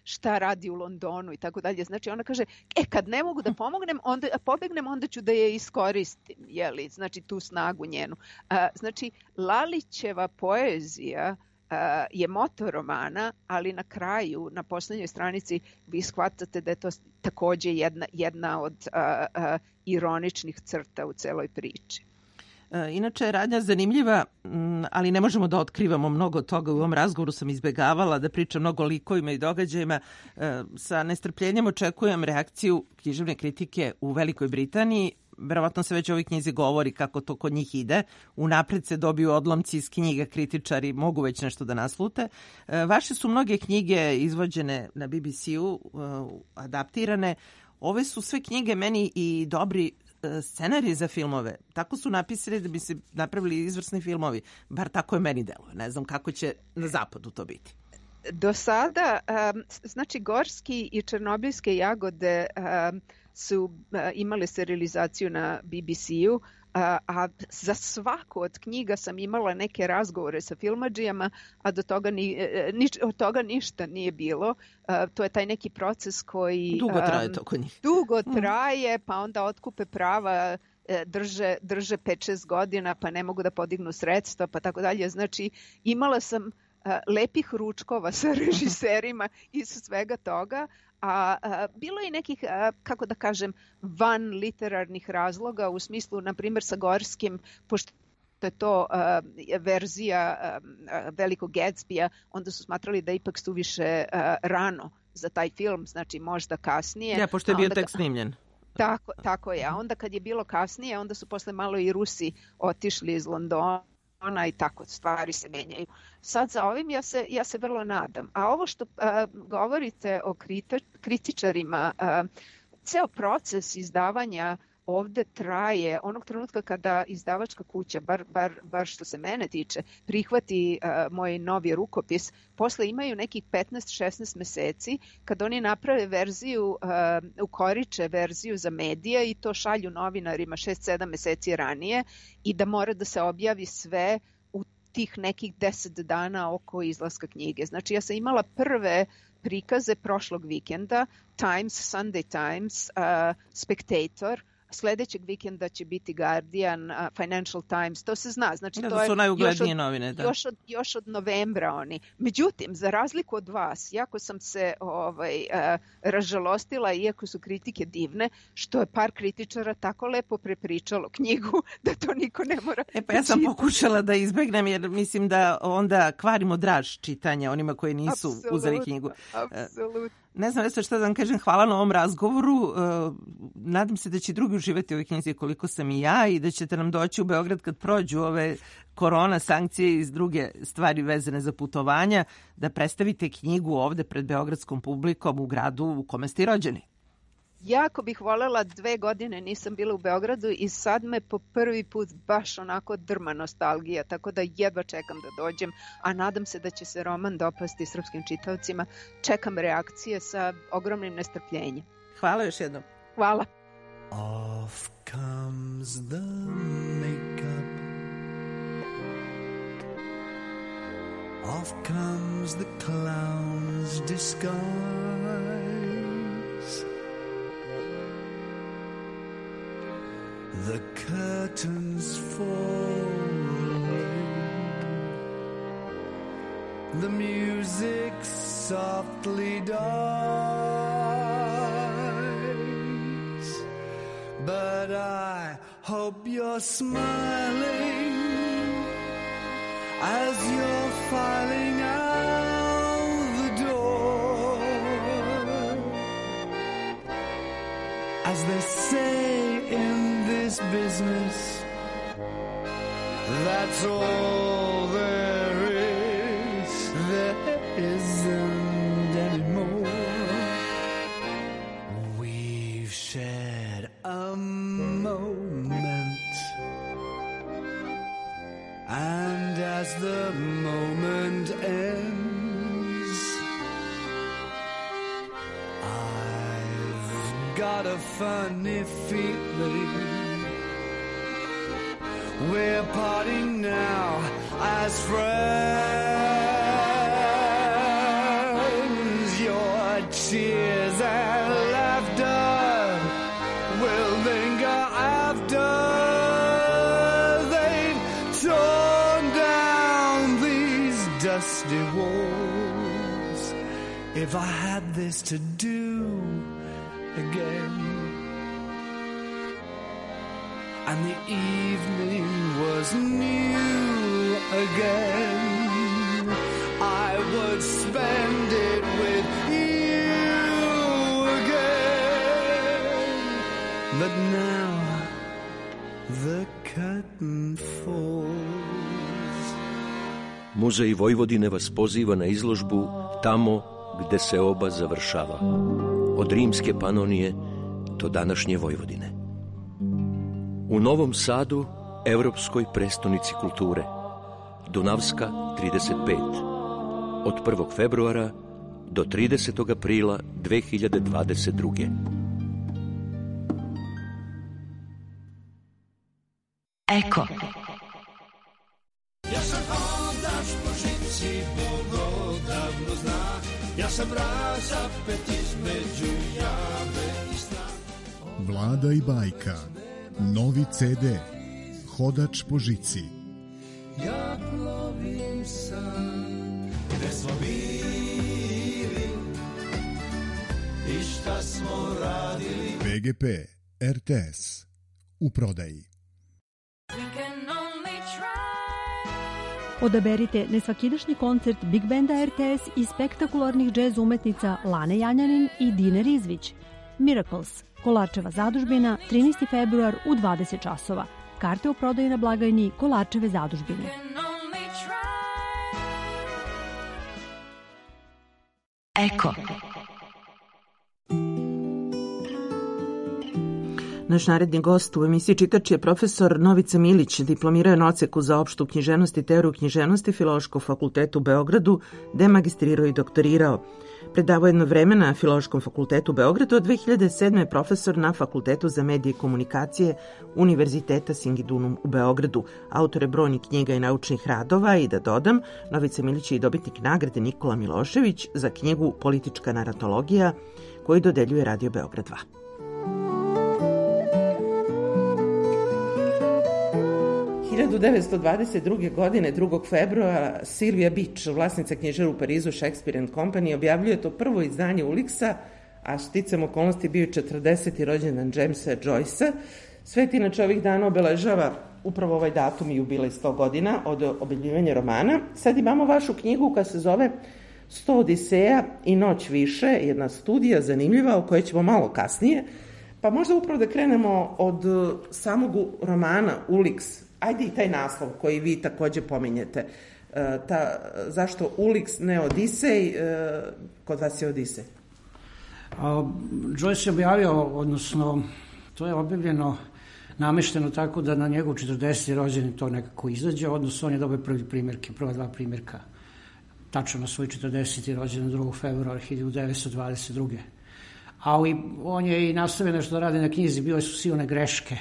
Speaker 4: šta radi u Londonu i tako dalje. Znači ona kaže, kad ne mogu da pobegnem, onda ću da je iskoristim. Jeli? Znači tu snagu njenu. Znači Lalićeva poezija je moto romana, ali na kraju, na poslednjoj stranici, vi shvatate da je to takođe jedna od ironičnih crta u celoj priči.
Speaker 3: Inače je radnja zanimljiva, ali ne možemo da otkrivamo mnogo toga. U ovom razgovoru sam izbegavala da pričam mnogo o likovima i događajima. Sa nestrpljenjem očekujem reakciju književne kritike u Velikoj Britaniji. Verovatno se već o ovoj knjizi govori kako to kod njih ide. Unapred se dobiju odlomci iz knjiga, kritičari mogu već nešto da naslute. Vaše su mnoge knjige izvođene na BBC-u, adaptirane. Ove su sve knjige meni i dobri scenarij za filmove. Tako su napisali da bi se napravili izvrsni filmovi. Bar tako je meni deluje. Ne znam kako će na zapadu to biti.
Speaker 4: Do sada, znači Gorski i Černobilske jagode su imale serializaciju na BBC-u, a za svaku od knjiga sam imala neke razgovore sa filmadžijama, a od toga ništa nije bilo. To je taj neki proces koji...
Speaker 3: Dugo traje to kod njih.
Speaker 4: Dugo traje, pa onda otkupe prava, drže 5-6 godina, pa ne mogu da podignu sredstva, pa tako dalje. Znači, imala sam lepih ručkova sa režiserima i sa svega toga, a bilo je nekih, kako da kažem, van literarnih razloga, u smislu, na primjer, sa Gorskim, pošto je to verzija Velikog Gatsbija, onda su smatrali da ipak suviše rano za taj film, znači možda kasnije.
Speaker 3: Ja, pošto je bio tek snimljen.
Speaker 4: Tako je. A onda kad je bilo kasnije, onda su posle malo i Rusi otišli iz Londona i tako stvari se menjaju. Sad za ovim ja se vrlo nadam. A ovo što govorite o kritičarima, ceo proces izdavanja ovde traje onog trenutka kada izdavačka kuća, bar što se mene tiče, prihvati moj novi rukopis, posle imaju nekih 15-16 meseci kad oni naprave verziju, ukoriče verziju za medije i to šalju novinarima 6-7 meseci ranije i da mora da se objavi sve u tih nekih 10 dana oko izlaska knjige. Znači ja sam imala prve prikaze prošlog vikenda, Times, Sunday Times, Spectator, sledećeg vikenda će biti Guardian, Financial Times, to se zna. Znači, to
Speaker 3: su najuglednije novine. Da.
Speaker 4: Još od novembra oni. Međutim, za razliku od vas, jako sam se ražalostila, iako su kritike divne, što je par kritičara tako lepo prepričalo knjigu da to niko ne mora
Speaker 3: pa ja sam pokušala da izbegnem, jer mislim da onda kvarimo draž čitanja onima koji nisu uzeli knjigu.
Speaker 4: Apsolutno.
Speaker 3: Ne znam što da vam kažem, hvala na ovom razgovoru. Nadam se da će drugi uživati u ovoj knjizi koliko sam i ja i da ćete nam doći u Beograd kad prođu ove korona sankcije i druge stvari vezane za putovanja, da predstavite knjigu ovde pred beogradskom publikom u gradu u kome ste i rođeni.
Speaker 4: Jako bih voljela, 2 godine nisam bila u Beogradu i sad me po prvi put baš onako drma nostalgija, tako da jedva čekam da dođem, a nadam se da će se roman dopasti srpskim čitaocima. Čekam reakcije sa ogromnim nestrpljenjem.
Speaker 3: Hvala još jednom.
Speaker 4: Hvala.
Speaker 2: Off comes the makeup, off comes the clown's disguise. The curtains fall away, the music softly dies, but I hope you're smiling as you're filing out the door. As they say in this business, that's all there is. There isn't any more. We've shared a moment, and as the moment ends, I've got a funny feeling we're parting now as friends. Your tears and laughter will linger after they've torn down these dusty walls. If I had this to do again, and the evening was new again, I would spend it with you again. But now the curtain falls.
Speaker 6: Muzej Vojvodine vas poziva na izložbu Tamo gde se oba završava, od rimske Panonije do današnje Vojvodine. U Novom Sadu, evropskoj prestonici kulture. Dunavska 35. Od 1. februara do 30. aprila 2022.
Speaker 7: Eko.
Speaker 2: Ja sam hodač po žici, Bog odavno zna. Ja sam razapet između jave i sna.
Speaker 8: Vlada i bajka. Novi CD. Hodač po žici.
Speaker 2: Ja plovim sam, gde smo bili i šta smo radili.
Speaker 8: PGP RTS. U prodaji.
Speaker 9: Odaberite nesvakidašnji koncert Big Banda RTS i spektakularnih džez umetnica Lane Janjanin i Dine Rizvić. Miracles, Kolarčeva zadužbina, 13. februar u 20 časova. Karte u prodaji na blagajni Kolarčeve zadužbine.
Speaker 7: Eko.
Speaker 3: Naš naredni gost u emisiji Čitač je profesor Novica Milić, diplomirao je na odseku za opštu književnost i teoriju književnosti Filološkog fakulteta u Beogradu, gde je magistrirao i doktorirao. Predavao jedno vreme na Filološkom fakultetu u Beogradu, od 2007. je profesor na Fakultetu za medije i komunikacije Univerziteta Singidunum u Beogradu. Autor je brojnih knjiga i naučnih radova i da dodam, Novica Milić je i dobitnik nagrade Nikola Milošević za knjigu Politička naratologija koju dodeljuje Radio Beograd 2. 1922. godine, 2. februara, Sylvia Beach, vlasnica knjižara u Parizu Shakespeare and Company, objavljuje to prvo izdanje Ulixa, a šticam okolnosti bio 40. rođendan Jamesa Joycea. Svet inače ovih dana obeležava upravo ovaj datum i jubilej 100 godina od objavljivanja romana. Sad imamo vašu knjigu koja se zove 100 Odiseja i noć više, jedna studija zanimljiva o kojoj ćemo malo kasnije. Pa možda upravo da krenemo od samog romana Ulix. Ajde i taj naslov koji vi takođe pominjete. Zašto Ulix, ne Odisej? Kod vas je Odisej.
Speaker 10: Joyce je objavio, odnosno to je objavljeno, namešteno tako da na njegov 40. rođendan to nekako izađe, odnosno on je dobio prva dva primjerka, tačno na svoj 40. rođendan 2. februara 1922. Ali on je i nastavio nešto da radi na knjizi, bile su silne greške,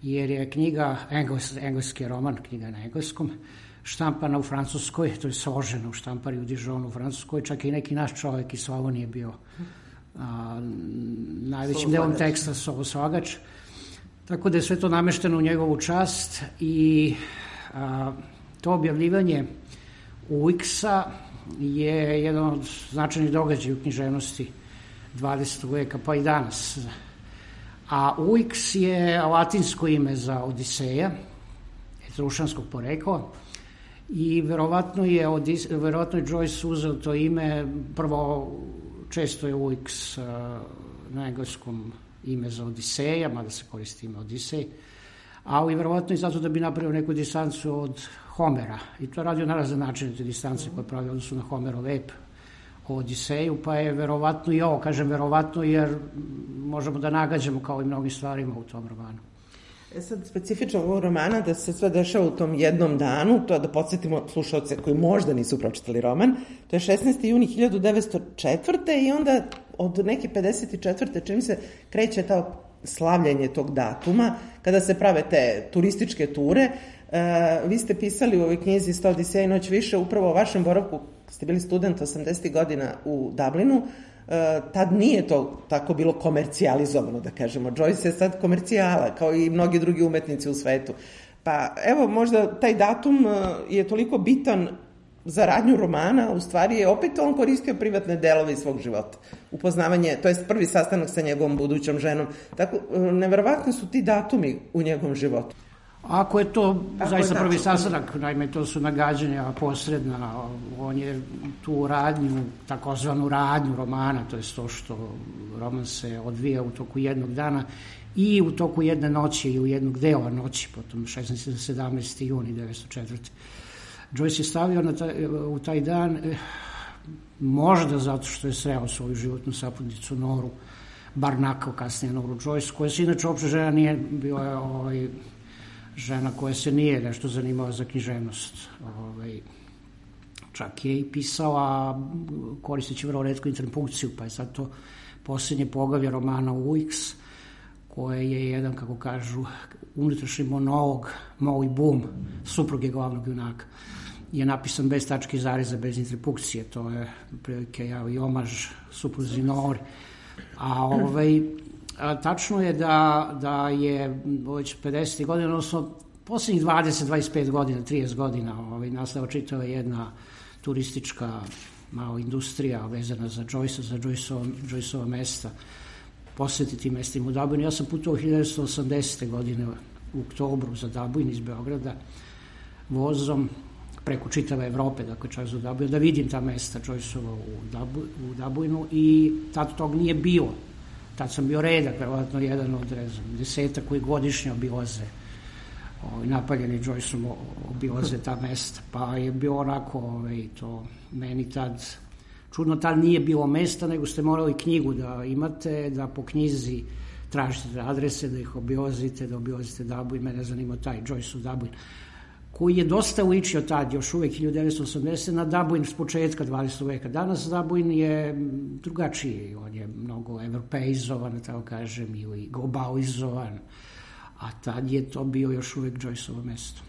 Speaker 10: jer je knjiga, engleski roman, knjiga na engleskom, štampana u Francuskoj, to je složeno u štampari u Dijonu u Francuskoj, čak i neki naš čovjek iz Slavonije bio najvećim delom teksta slogač. Tako da je sve to namešteno u njegovu čast i to objavljivanje Ulixa je jedan od značajnih događaja u književnosti 20. veka, pa i danas. A Ulix je latinsko ime za Odiseja, etrušanskog porekla, i verovatno je Joyce uzeo to ime, prvo često je Ulix na engleskom ime za Odiseja, mada se koristi ime Odisej, ali verovatno i zato da bi napravio neku distancu od Homera. I to radio na razne načine, te distance koje pravi odnosu na Homerov ep o Odiseju, pa je verovatno i ovo, kažem verovatno jer možemo da nagađamo kao i mnogim stvarima u tom romanu.
Speaker 3: Sad, specifično ovog romana da se sve dešava u tom jednom danu, to da podsjetimo slušalce koji možda nisu pročitali roman, to je 16. juni 1904. i onda od neke 54. čini se kreće ta slavljanje tog datuma, kada se prave te turističke ture. Vi ste pisali u ovoj knjizi 100 Odiseja i noć više upravo o vašem boravku, ste bili student 80. godina u Dublinu. Tad nije to tako bilo komercijalizovano, da kažemo. Joyce je sad komercijala, kao i mnogi drugi umetnici u svetu. Pa evo, možda taj datum je toliko bitan za radnju romana, u stvari je opet on koristio privatne delove iz svog života. Upoznavanje, to je prvi sastanak sa njegovom budućom ženom. Tako, neverovatni su ti datumi u njegovom životu.
Speaker 10: Ako je to zaista prvi sastanak, naime to su nagađanja posredna, on je tu radnju, takozvanu radnju romana, to je to što roman se odvija u toku jednog dana i u toku jedne noći i u jednog dela noći, potom 16. 17. juni 1904. Joyce je stavio u taj dan, možda zato što je sreo svoju životnu saputnicu Noru Barnacle, kasnije Noru Joyce, koja se inače uopšte žena nije, bila je žena koja se nije nešto zanimala za književnost. Čak je i pisala, koristeći vrlo retko interpunkciju, pa je sad to posljednje poglavlje romana UX, koje je jedan, kako kažu, unutrašnji monolog, Molly Bloom, supruge glavnog junaka, je napisan bez tačke i zareza, bez interpunkcije. To je prilike i omaž supruzi Nori. A tačno je da je već 50. godina, odnosno posljednjih 20, 25 godina, 30 godina nastala čitava jedna turistička malo industrija vezana za Joyce, za Joyceova mesta, posjetiti mestima u Dublinu. Ja sam putovao 1980. godine u oktobru za Dublin iz Beograda vozom preko čitave Evrope, dakle čak za Dublin, da vidim ta mesta Joyceova u Dublinu i tad tog nije bilo. Tad sam bio redak, verovatno jedan od 10 koji godišnje obilaze napaljeni Joyceom obilaze ta mesta, pa je bilo onako to meni tad čudno, tad nije bilo mesta, nego ste morali knjigu da imate, da po knjizi tražite adrese, da ih obilazite, da obilazite Dublin. Mene zanima taj Joyceov Dublin, koji je dosta ličio tad, još uvek 1980, na Dublin s početka 20. veka. Danas Dublin je drugačiji, on je mnogo evropeizovan, tako kažem, ili globalizovan, a tad je to bio još uvek Joyceovo mesto.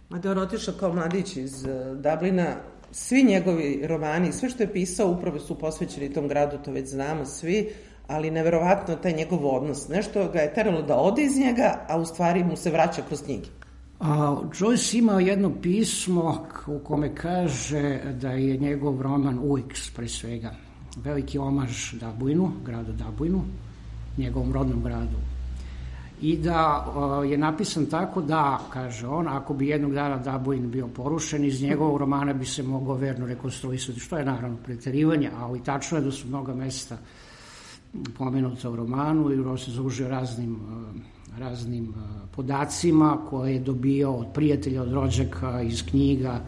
Speaker 3: Mada on otišao kao mladić iz Dublina, svi njegovi romani, sve što je pisao upravo su posvećeni tom gradu, to već znamo svi, ali neverovatno taj njegov odnos. Nešto ga je teralo da ode iz njega, a u stvari mu se vraća kroz knjige.
Speaker 10: Joyce imao jedno pismo u kome kaže da je njegov roman UX, pre svega, veliki omaž Dublinu, gradu Dublinu, njegovom rodnom gradu. I da je napisan tako da, kaže on, ako bi jednog dana Dublin bio porušen, iz njegovog romana bi se mogao verno rekonstruisati, što je naravno preterivanje, ali tačno je da su mnoga mesta pomenuta u romanu i on se zadužio raznim podacima koje je dobio od prijatelja, od rođaka, iz knjiga,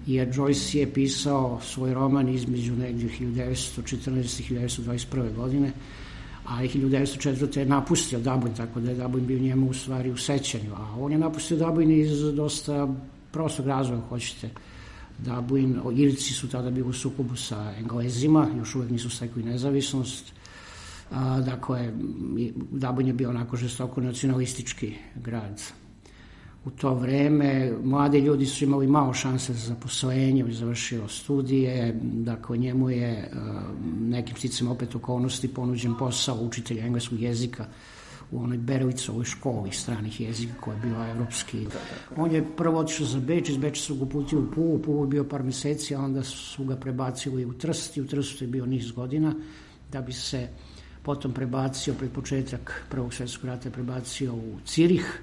Speaker 10: jer Joyce je pisao svoj roman između negdje 1914. i 1921. godine, a 1904. je napustio Dublin, tako da je Dublin bio njemu u stvari u sećanju, a on je napustio Dublin iz dosta prostog razloga, hoćete. Dublin, Irci su tada bili u sukobu sa Englezima, još uvek nisu stekli nezavisnost, dakle, Dublin je bio onako žestoko nacionalistički grad. U to vreme mladi ljudi su imali malo šanse za zaposlenje, završio studije, dakle njemu je nekim sticam opet okolnosti ponuđen posao učitelja engleskog jezika u onoj Berlicovoj školi stranih jezika koja je bila evropski. On je prvo otišao za Beč, iz Beča su ga uputili u Pulu je bio par meseci, a onda su ga prebacili u Trst i u Trstu je bio niz godina, da bi se potom prebacio pred početak Prvog svjetskog rata je prebacio u Cirih,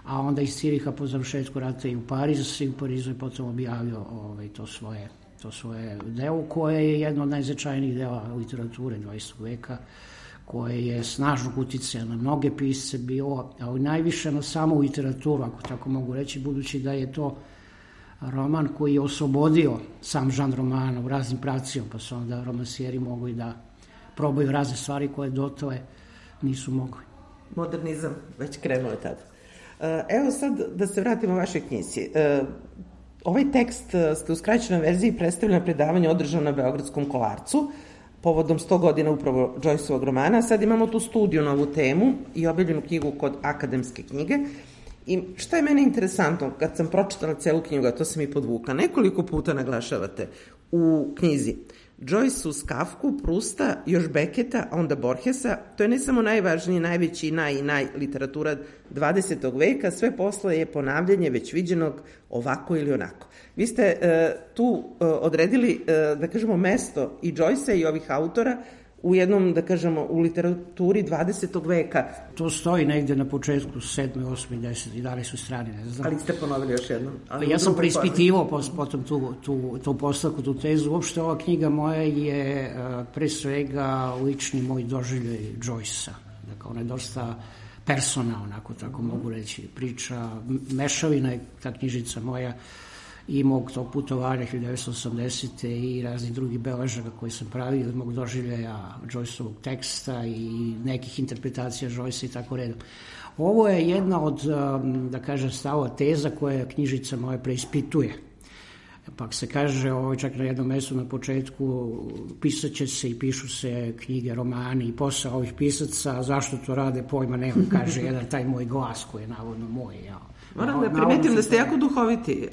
Speaker 10: a onda iz Ciriha po završetku rata i u Pariz, i u Parizu je potom objavio to svoje delo, koje je jedno od najznačajnijih dela literature 20. veka, koje je snažnog uticaja na mnoge pisce bilo, ali najviše na samu literaturu, ako tako mogu reći, budući da je to roman koji je oslobodio sam žanr romana u raznim pravcima, pa su onda romansijeri mogli da probaju razne stvari koje dotale nisu mogli.
Speaker 3: Modernizam već krenuo je tada. Evo sad da se vratimo vašoj knjizi. Ovaj tekst ste u skraćenoj verziji predstavili na predavanju održano na Beogradskom Kolarcu, povodom 100 godina upravo Joyceovog romana. Sad imamo tu studiju na ovu temu i objavljenu knjigu kod Akademske knjige. I šta je meni interesantno, kad sam pročitala celu knjigu, a to sam i podvukla, nekoliko puta naglašavate u knjizi Joyce uz Kafku, Prusta, još Beketa, a onda Borgesa. To je ne samo najvažniji, najveći i naj literatura 20. veka, sve posle je ponavljanje već viđenog ovako ili onako. Vi ste tu odredili, da kažemo, mesto i Joycea i ovih autora u jednom, da kažemo, u literaturi 20. veka.
Speaker 10: To stoji negde na početku 7., 8., 10., 11. strani, ne znam.
Speaker 3: Ali ste ponovili još jednom.
Speaker 10: Ja sam preispitivao potom tu postavku, tu tezu. Uopšte ova knjiga moja je pre svega lični moj doživljaj Joycea. Dakle, ona je dosta personalna, ako tako mogu reći, priča, mešavina je ta knjižica moja i mog tog putovanja 1980. i raznih drugih beležaka koje sam pravio, od mog doživljaja Joyceovog teksta i nekih interpretacija Joyce i tako redom. Ovo je jedna od, da kažem, stava teza koja knjižica moja preispituje. Pa se kaže, čak na jednom mestu na početku, pisat će se i pišu se knjige, romani i posao ovih pisaca, zašto to rade, pojma nema, kaže jedan taj moj glas koji je navodno moj.
Speaker 3: Moram da primetim da ste jako duhoviti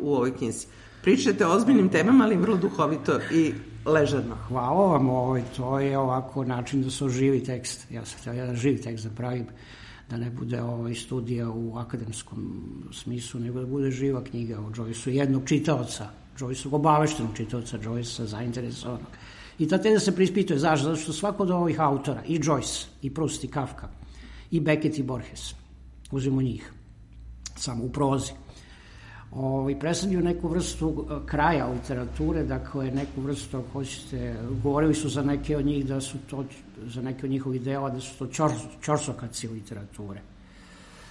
Speaker 3: u ovoj knjizi. Pričate o ozbiljnim temama, ali vrlo duhovito i ležerno.
Speaker 10: Hvala vam, to je ovako način da se oživi tekst. Ja sam htio jedan živi tekst da pravim, da ne bude studija u akademskom smislu, nego da bude živa knjiga o Joyceu, jednog čitaoca, Joyceovog obaveštenog čitaoca, Joycea zainteresovanog. I ta teza se preispituje. Zašto? Zato što svako od ovih autora, i Joyce, i Proust, i Kafka, i Beckett, i Borges, uzimo njih, samo u prozi, predstavljaju neku vrstu kraja literature, dakle neku vrstu, ako hoćete, govorili su za neke od njih da su to, za neke od njihovih dela, da su to ćorsokaci literature,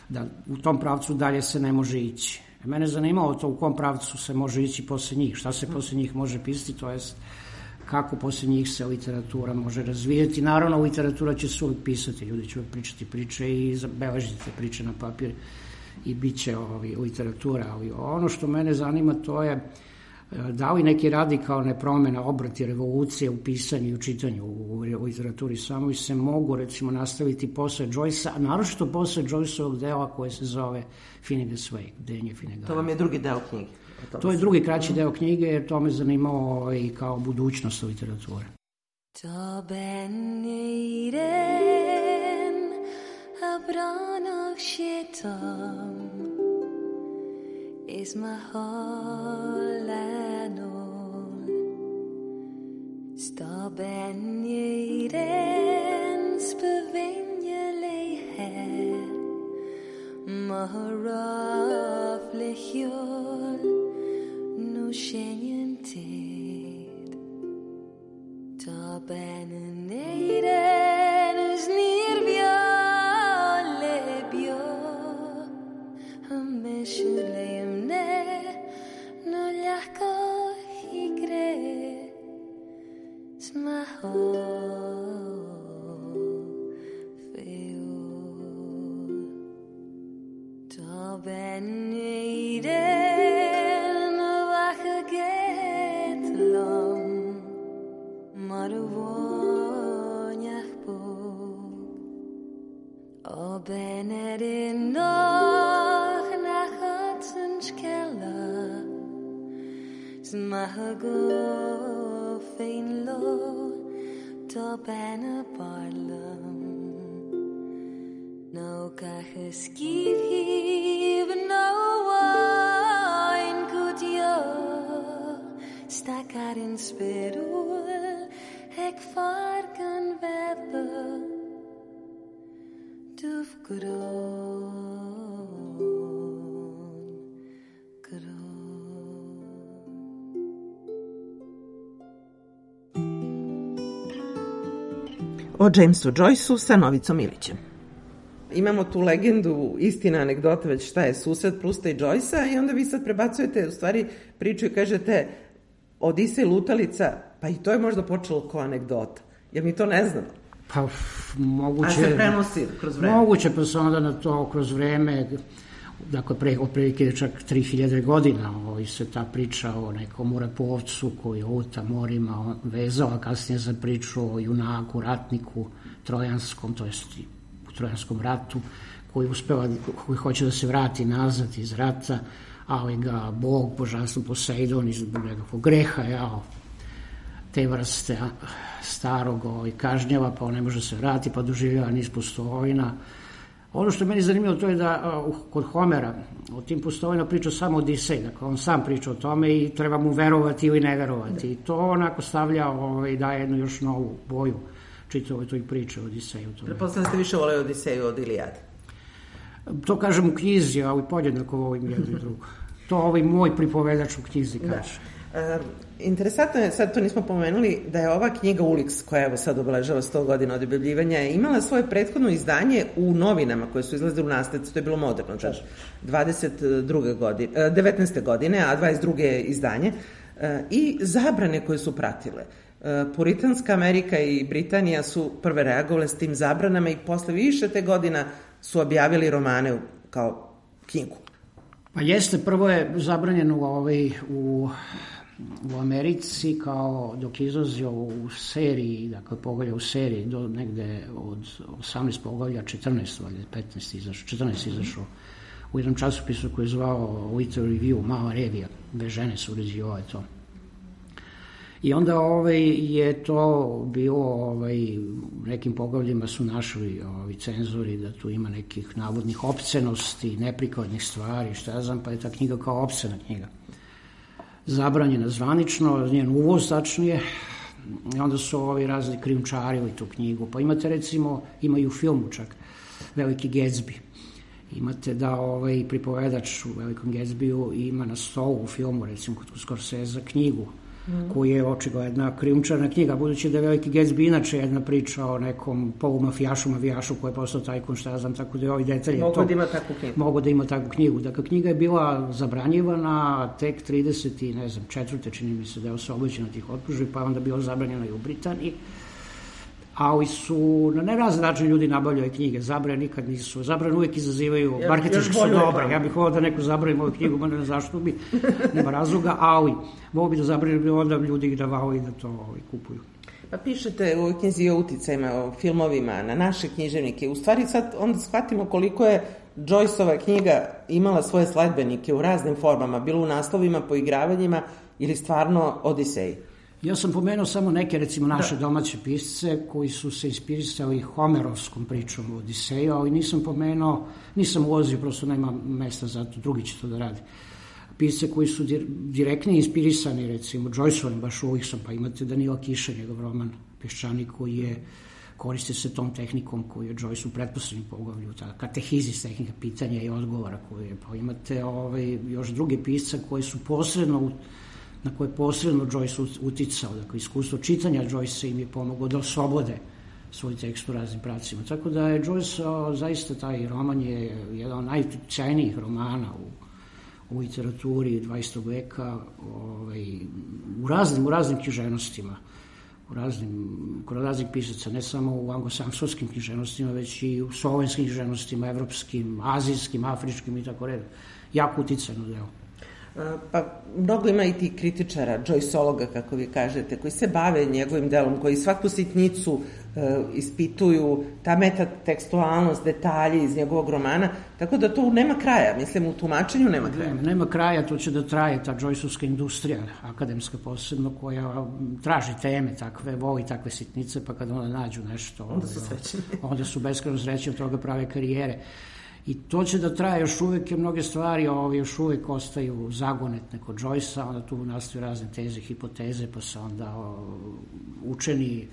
Speaker 10: da u tom pravcu dalje se ne može ići. Mene zanimalo to u kom pravcu se može ići posle njih, šta se posle njih može pisati, to jest kako posle njih se literatura može razvijeti. Naravno, literatura će se uvijek pisati, ljudi će uvijek pričati priče i zabeležiti te priče na papir i bit će literatura, ali ono što mene zanima to je da li neki radikalne promjene, obrati, revolucije u pisanju i u čitanju u literaturi samoj se mogu recimo nastaviti posle Joycea, a naročito posle Joyceovog dela koje se zove Finnegan's Wake, Bdenje Finnegana.
Speaker 3: To vam je drugi deo knjige.
Speaker 10: To je drugi kraći deo knjige, jer to me zanimalo i kao budućnost literature.
Speaker 5: Ta ben iren a branach shetam is ma holanol sta ben iren spevenje leher maharaf lechiol nu shenyented ta ben iren is nirvia lebio ameshulem ne no ljahko igre smaho feo ta ben iren vache get long maruvoniach po o benerin noch nach hatsenskella smahago fein lo to bena barlam no kache skiv no wine good yo stakar in spirul ek fargan vedda duf
Speaker 3: O Jamesu Joyceu sa Novicom Ilićem. Imamo tu legendu, istina, anegdota, već šta je susret Prusta i Joycea i onda vi sad prebacujete u stvari priču i kažete Odisej lutalica, pa i to je možda počelo kao anegdota. Jer mi to ne znamo.
Speaker 10: Pa moguće...
Speaker 3: A se prenosi kroz vreme?
Speaker 10: Moguće, pa se onda na to kroz vreme, dakle, otprilike čak 3000 godina se ta priča o nekom morepovcu koji luta morima vezala kasnije za priču o junaku, ratniku trojanskom, to jest u trojanskom ratu, koji hoće da se vrati nazad iz rata, ali ga Bog, božanstvo Poseidon, iz nekakvog greha, te vrste starog kažnjava, pa on ne može se vrati, pa doživljava niz pustovina. Ono što je meni zanimljivo to je da kod Homera o tim pustovina priča samo Odisej, dakle on sam priča o tome i treba mu verovati ili ne verovati. I to onako stavlja i daje jednu još novu boju čitavoj toj priče o Odiseju.
Speaker 3: Pretpostavljam ste više voleli Odiseju od Ilijade.
Speaker 10: To kažem u knjizi, ali podjednako volim jedno i drugo. To moj pripovedač u knjizi kaže.
Speaker 3: Interesantno je, sad to nismo pomenuli, da je ova knjiga Ulix, koja evo sad obeležava 100 godina od objavljivanja, imala svoje prethodno izdanje u novinama koje su izlazile u nasledci, to je bilo moderno, 19. godine, a 22. je izdanje, i zabrane koje su pratile. Puritanska Amerika i Britanija su prve reagovale s tim zabranama i posle više te godina su objavili romane kao knjigu.
Speaker 10: Pa jeste, prvo je zabranjeno u Americi kao dok je izlazio u seriji, dakle poglavlja u seriji do negde od 18 poglavlja 14, 14 izašao u jednom časopisu koji je zvao Literary Review, mala revija, dve žene su uređivale to. I onda je to bilo, u nekim poglavljima su našli cenzori da tu ima nekih navodnih opcenosti, neprikladnih stvari, šta ja znam, pa je ta knjiga kao opcena knjiga. Zabranjena zvanično, njen uvoz tačnije, i onda su razni krijumčarili tu knjigu. Pa imate recimo, ima i u filmu čak, Veliki Gatsby. Imate da pripovedač u Velikom Gatsbyu ima na stolu u filmu, recimo kod Scorsese, knjigu koji je očigledna krijumčarna knjiga, budući da je Veliki Gatsby inače jedna priča o nekom mafijašu koji je postao tajkun, šta ja znam, tako da je ovi detalji
Speaker 3: mogu da ima takvu knjigu.
Speaker 10: Mogu da ima takvu knjigu. Dakle, knjiga je bila zabranjivana tek 34. čini mi se da je oslobođena tih optužbi, pa je onda bila zabranjena i u Britaniji. Ali su na nerazne način ljudi nabavljaju knjige. Zabrane nikad nisu. Zabrane uvijek izazivaju, marketinški su dobre. Ja bih volao da neko zabrani moju knjigu, ne znam zašto bi, nema razloga, ali volao bi da zabrani, onda ljudi ih davao i da to kupuju.
Speaker 3: Pa pišete u ovoj knjizi o uticajima, o filmovima, na naše književnike. U stvari sad onda shvatimo koliko je Joyceova knjiga imala svoje sledbenike u raznim formama, bilo u naslovima, poigravanjima ili stvarno Odiseji.
Speaker 10: Ja sam pomenuo samo neke, recimo, naše domaće pisce koji su se inspirisali Homerovskom pričom o Odiseju, ali nisam ulazio, prosto nema mesta za to, drugi će to da radi. Pisce koji su direktno inspirisani, recimo, Joyceovim, baš Ulixom, pa imate Danila Kiša, njegov roman Peščanik, koji koristi se tom tehnikom koju je Joyce u pretposlednjem poglavlju, ta katehizis, tehnika pitanja i odgovora koju je, pa imate još druge pisce koji su na koje je posredno Joyce uticao. Dakle, iskustvo čitanja Joyce im je pomoglo da oslobode svoj tekst u raznim pravcima. Tako da je Joyce, zaista taj roman je jedan od najutjecajnijih romana u literaturi 20. veka, u raznim književnostima, kod raznih pisaca, ne samo u anglosaksonskim književnostima, već i u slovenskim književnostima, evropskim, azijskim, afričkim i tako redom. Jako uticajno delo.
Speaker 3: Pa mnogo ima i ti kritičara, Joyceologa, kako vi kažete, koji se bave njegovim delom, koji svaku sitnicu ispituju, ta metatekstualnost, detalji iz njegovog romana, tako da to nema kraja, mislim, u tumačenju nema kraja.
Speaker 10: Nema kraja, to će da traje ta Joyceovska industrija, akademska posebno, koja traži teme takve, voli takve sitnice, pa kada onda nađu nešto,
Speaker 3: onda su srećni.
Speaker 10: Onda su beskrajno srećni, od toga prave karijere. I to će da traje još uvek, jer mnoge stvari još uvek ostaju zagonetne kod Joycea, onda tu nastaju razne teze, hipoteze, pa se onda učeni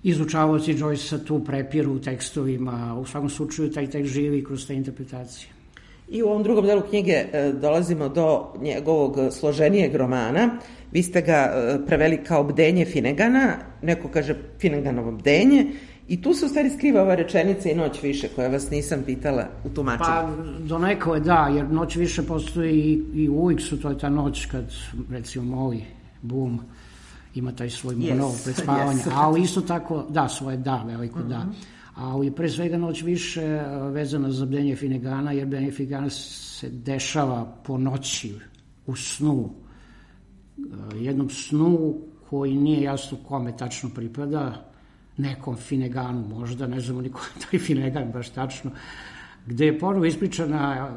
Speaker 10: izučavaoci Joycea tu prepiru u tekstovima, u svakom slučaju taj tekst živi kroz te interpretacije.
Speaker 3: I u ovom drugom delu knjige dolazimo do njegovog složenijeg romana. Vi ste ga preveli kao Bdenje Finnegana, neko kaže Finneganovo bdenje, i tu se u stvari skriva ova rečenica i Noć više, koja vas nisam pitala u tumačenju.
Speaker 10: Pa, donekle je da, jer Noć više postoji i u Ulixu, to je ta noć kad, recimo, Molly Bloom ima taj svoj monolog pred spavanje, ali isto tako, da, svoje da, veliko da. Ali pre svega Noć više vezana za Bdenje Finnegana, jer Bdenje Finnegana se dešava po noći, u snu. Jednom snu koji nije jasno kome tačno pripada, nekom Finneganu možda, ne znamo niko taj Finnegan baš tačno, gde je ponovo ispričana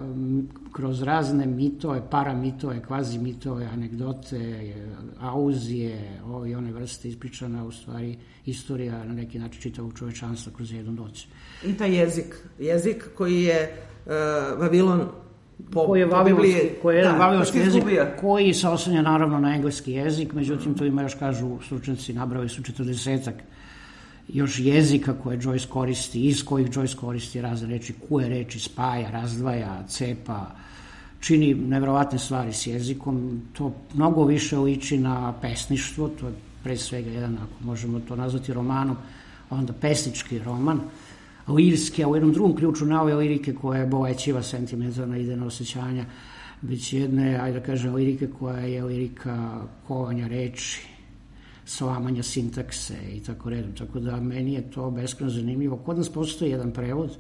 Speaker 10: kroz razne mitove, paramitove, kvazi mitove, anegdote, auzije, ove i one vrste ispričana, u stvari istorija na neki način čitavog čovečanstva kroz jednu noć.
Speaker 3: I taj jezik koji je Vavilon
Speaker 10: koji je vavilonski jezik, koji se oslanja naravno na engleski jezik, međutim tu ima još, kažu stručnjaci, nabrali su 40-ak još jezika koje Joyce koristi, iz kojih Joyce koristi razne reči, koje reči spaja, razdvaja, cepa, čini nevjerovatne stvari s jezikom, to mnogo više liči na pesništvo, to je pre svega jedan, ako možemo to nazvati romanom, onda pesnički roman, lirski, a u jednom drugom ključu na ove lirike koja je bolećiva, sentimentalna, idejna osjećanja, već jedne, ajde da kažem, lirike koja je lirika kovanja reči, slamanja sintakse i tako redom. Tako da meni je to beskrajno zanimljivo. Kod nas postoji jedan prevod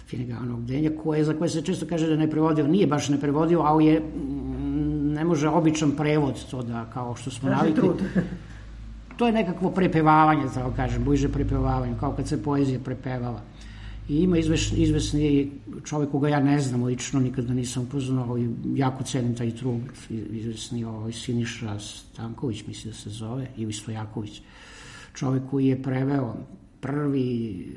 Speaker 10: Finneganovog bdenja, za koje se često kaže da ne prevodio. Nije baš ne prevodio, ali je, ne može običan prevod to da, kao što smo navikli. To je nekakvo prepevavanje, tako kažem, bliže prepevavanju, kao kad se poezija prepevala. I ima izvesni čovjek koga ja ne znam lično, nikada nisam upoznao, i jako cenim taj trud, izvesni Siniša Stanković, misli da se zove, ili Stojaković, čovjek koji je preveo prvi,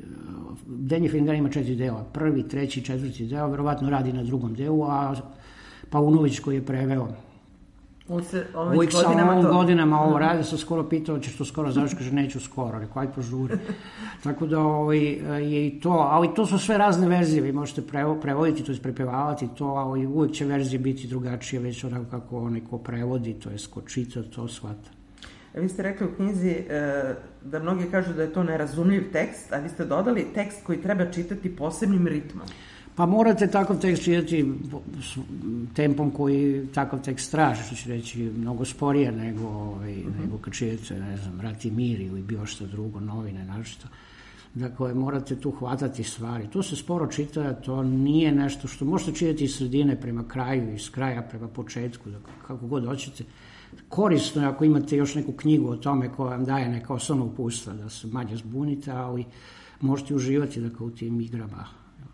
Speaker 10: Bdenje Finnegana ima 4 dela, prvi, 3, 4 deo, verovatno radi na drugom delu, a Paunović koji je preveo uvijek sa ovim godinama ovo radi, sam skoro pitao, ćeš to skoro završiti, kaže neću skoro, rekao, aj požuri. Tako da je i to, ali to su sve razne verzije, vi možete prevoditi, to je prepevavati to, ali uvijek će verzije biti drugačije, već onako kako onaj ko prevodi, to je ko čita, to shvata.
Speaker 3: Vi ste rekli u knjizi da mnogi kažu da je to nerazumljiv tekst, a vi ste dodali tekst koji treba čitati posebnim ritmom.
Speaker 10: Pa morate takav tekst čitati tempom koji takav tekst traži, što ću reći mnogo sporije nego kad čitate, ne znam, Rat i mir ili bilo što drugo, novine, našto. Dakle, morate tu hvatati stvari. To se sporo čita, to nije nešto što možete čitati iz sredine prema kraju, iz kraja prema početku, dakle, kako god hoćete. Korisno je ako imate još neku knjigu o tome koja vam daje neka osnovna upustva, da se manje zbunite, ali možete uživati dakle, u tim igrama.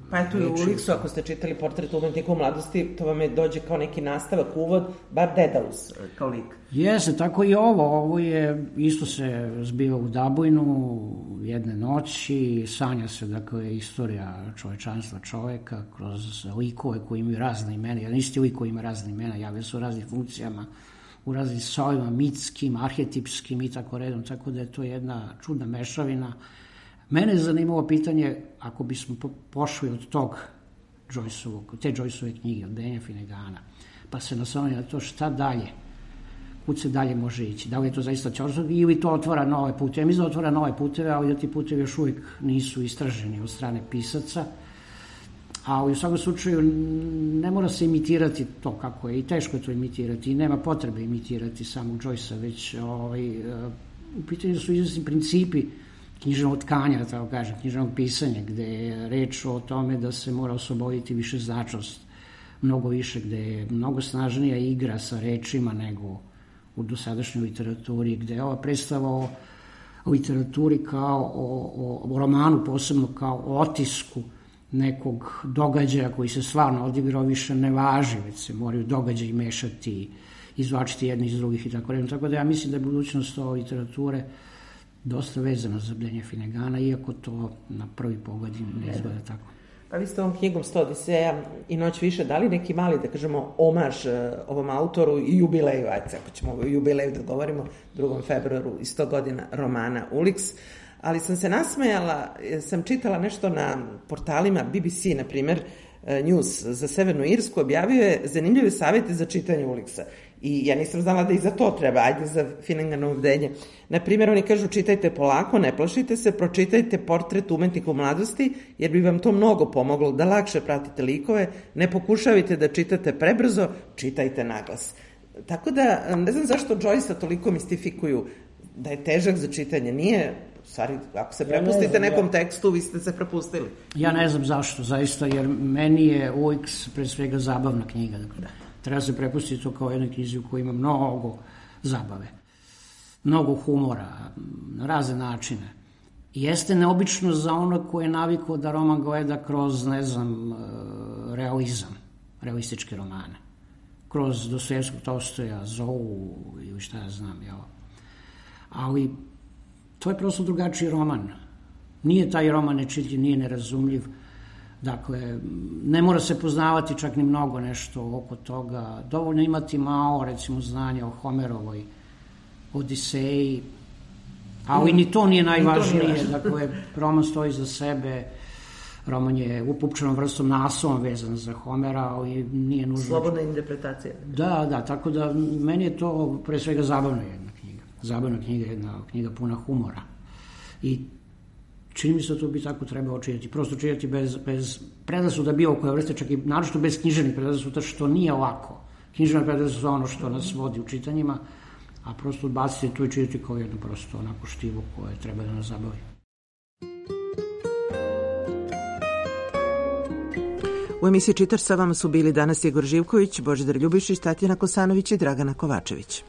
Speaker 3: Pa eto i u Uliksu, ako ste čitali Portret umetnika u mladosti, to vam je dođe kao neki nastavak, uvod, bar Dedalus kao lik.
Speaker 10: Jeste, tako i ovo je, isto se zbiva u Dabojnu, jedne noći, sanja se, dakle, istorija čovečanstva čoveka, kroz likove koji imaju razne imena, jedan isti lik koji ima razne imena, javljaju se u raznim funkcijama, u raznim sojima, mitskim, arhetipskim i tako redom, tako da je to jedna čudna mešavina. Mene je zanimalo pitanje, ako bismo pošli od tog te Joyceove knjige, od Bdenja Finnegana, pa se naslonili na to šta dalje, kud se dalje može ići, da li je to zaista Ćorsog ili to otvara nove puteve. Mislim da otvara nove puteve, ali da ti putevi još uvijek nisu istraženi od strane pisaca, ali u svakom slučaju ne mora se imitirati to kako je i teško je to imitirati i nema potrebe imitirati samog Joycea, već u pitanju su izvesni principi književnog tkanja, tako kažem, književnog pisanja, gde je reč o tome da se mora osloboditi višeznačnost, mnogo više, gde je mnogo snažnija igra sa rečima nego u dosadašnjoj literaturi, gde je ova predstava o literaturi kao o romanu, posebno kao o otisku nekog događaja koji se stvarno odigrao, više ne važi, već se moraju događaji mešati, izvlačiti jedni iz drugih i tako redom. Tako da ja mislim da je budućnost ove literature dosta vezana za Bdenja Finnegana, iako to na prvi pogled ne izgleda tako.
Speaker 3: Pa vi ste ovom knjigom 100 Odiseja i Noć više dali neki mali, da kažemo, omaž ovom autoru i jubileju, ajde, ako ćemo o jubileju da govorimo, 2. februaru i 100 godina romana Uliks, ali sam se nasmejala, sam čitala nešto na portalima BBC, na primjer, News za Severnu Irsku, objavio je zanimljive savjete za čitanje Uliksa. I ja nisam znala da i za to treba, ajde za Finneganovo bdenje. Naprimjer, oni kažu čitajte polako, ne plašite se, pročitajte Portret umetnika u mladosti, jer bi vam to mnogo pomoglo da lakše pratite likove, ne pokušavajte da čitate prebrzo, čitajte naglas. Tako da, ne znam zašto Joycea toliko mistifikuju da je težak za čitanje. Nije, stvari, ako se prepustite nekom tekstu, vi ste se prepustili.
Speaker 10: Ja ne znam zašto, zaista, jer meni je Uliks pre svega zabavna knjiga, dakle. Treba se prepustiti to kao jednoj knjizi u kojoj ima mnogo zabave, mnogo humora, na razne načine. Jeste neobično za ono koje je navikao da roman gleda kroz, ne znam, realizam, realističke romane. Kroz Dostojevskog, Tolstoja, Zovu ili šta ja znam, jel? Ali to je prosto drugačiji roman. Nije taj roman nečitljiv, nije nerazumljiv. Dakle, ne mora se poznavati čak ni mnogo nešto oko toga. Dovoljno imati malo, recimo, znanja o Homerovoj Odiseji, ali ni to nije najvažnije. Dakle, roman stoji za sebe. roman je upupčanom vrstom naslovom vezan za Homera, ali nije nužno...
Speaker 3: Slobodna interpretacija.
Speaker 10: Da, tako da meni je to pre svega zabavna jedna knjiga. Zabavna knjiga, jedna knjiga puna humora. I čini mi se da to bi tako trebalo čitati. Prosto čitati bez predrasuda bilo koje vrste, čak i naročito bez književnih predrasuda, što nije lako. Književne predrasuda su ono što nas vodi u čitanjima, a prosto odbaciti tu i čitati kao jedno prosto onako štivo koje treba da nas zabavi.
Speaker 3: U emisiji Čitač sa vama su bili danas Igor Živković, Božidar Ljubišić, Tatjana Kosanović i Dragana Kovačević.